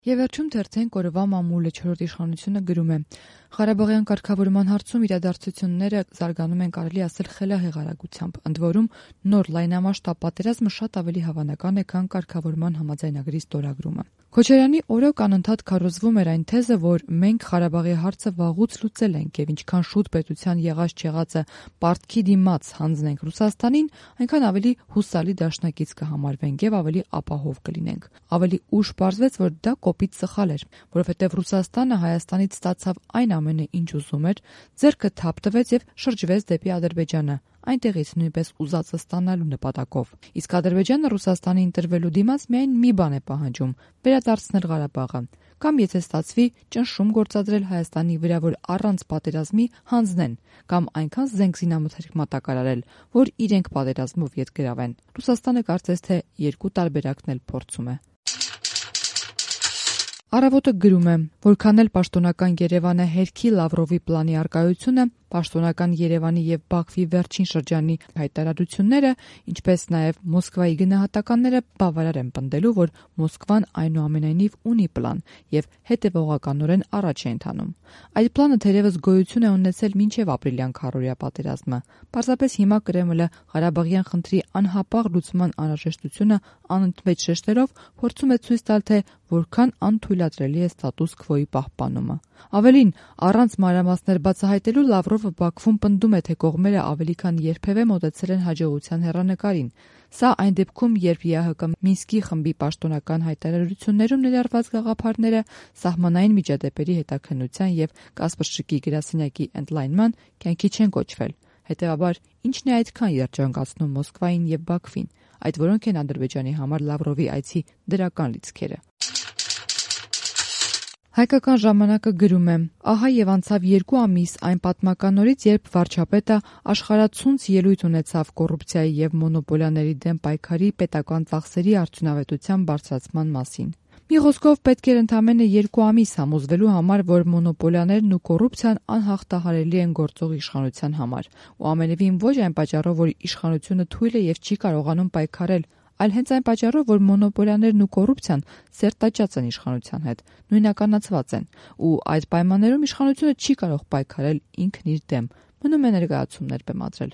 Եվ վերջում թերթենք օրվա մամուլը 4-րդ իշխանությունը գրում է. Ղարաբաղյան կարգավորման հարցում իրադարձությունները զարգանում են կարելի ասել խելահեղ արագությամբ, ընդ որում նոր լայնամասշտաբ պատերազմը շատ ավելի հավանական է, քան կարգավորման համաձայնագրի ստորագրումը։ Քոչարյանի օրոք անընդհատ քարոզվում էր այն թեզը, որ մենք Ղարաբաղի հարցը վաղուց լուծել ենք եւ ինչքան շուտ պետության եղած-չեղածը պարտքի դիմաց հանձնենք Ռուսաստանին, այնքան ավելի հուսալի դաշնակից կհամարվենք եւ ավելի ապահով կլինենք։ Ավելի ուշ պարզվեց, որ դա կոպիտ սխալ էր, որովհետև Ռուսաստանը Հայաստանից ստացավ այն ամենը, ինչ ուզում էր, ձեռքը թափ տվեց եւ շրջվեց դեպի Ադրբեջանը, այնտեղից նույնպես ուզածը ստանալու նպատակով։ Իսկ Ադրբեջանը Ռուսաստանի ընտրվելու դիմաց միայն մի բան է պահանջում՝ վերադարձնել Ղարաբաղը, կամ եթե ստացվի, ճնշում գործադրել Հայաստանի վրա, որ առանց պատերազմի հանձնեն, կամ այնքան զենք-զինամթերք մատակարարել, որ իրենք պատերազմով ետ գրավեն։ Ռուսաստանը կարծես թե երկու տարբերակն էլ փորձում է։ Առավոտը գրում է, որքան էլ պաշտոնական Երևանը հերքի Լավրովի պլանի առկայությունը, պաշտոնական Երևանի եւ Բաքվի վերջին շրջանի հայտարարությունները, ինչպես նաեւ Մոսկվայի գնահատականները բավարար են պնդելու, որ Մոսկվան այնուամենայնիվ ունի պլան եւ հետեւողականորեն առաջ է ընթանում։ Այդ պլանը թերևս գոյություն է ունեցել մինչեւ ապրիլյան քառօրյա պատերազմը։ Պարզապես հիմա Կրեմլը Ղարաբաղյան խնդրի անհապաղ լուծման անհրաժեշտությունը անընդմեջ շեշտերով փորձում է ցույց տալ, թե որքան անթույլատրելի է ստատուս քվոյի պահպանումը։ Ավելին, առանց մանրամասներ բացահայտելու Լավրովը Բաքվում պնդում է, թե կողմերը ավելի քան երբևէ մոտեցել են հաջողության հեռանկարին։ Սա այն դեպքում, երբ ԵԱՀԿ Մինսկի խմբի պաշտոնական հայտարարություններում ներառված գաղափարները սահմանային միջադեպերի հետաքննության եւ Կասպրշիկի գրասենյակի ընդլայնման կյանքի չեն կոչվել։ Հետևաբար, ի՞նչն է այդքան երջանկացնում Մոսկվային եւ Բաքվին, այդ որոնք են Ադրբեջանի համար Լավրովի այցի դրական լիցքերը։ Հայկական ժամանակը գրում է. ահա եւ անցավ 2 ամիս այն պատմական օրից, երբ վարչապետը աշխարհացունց ելույթ ունեցավ կոռուպցիայի եւ մոնոպոլիաների դեմ պայքարի պետական ծախսերի արդյունավետության բարձրացման մասին։ Մի խոսքով պետք էր ընդամենը 2 ամիս համոզվելու համար, որ մոնոպոլիաներն ու կոռուպցիան անհաղթահարելի են գործող իշխանության համար, ու ամենևին ոչ այն պատճառով, որ իշխանությունը թույլ է եւ չի կարողանում պայքարել, այլ հենց այն պատճառով, որ մոնոպոլիաներն ու կոռուպցիան սերտաճած են իշխանության հետ, նույնականացված են, ու այդ պայմաններում իշխանությունը չի կարող պայքարել ինքն իր դեմ, մնում է ներկայացումներ բեմադրել։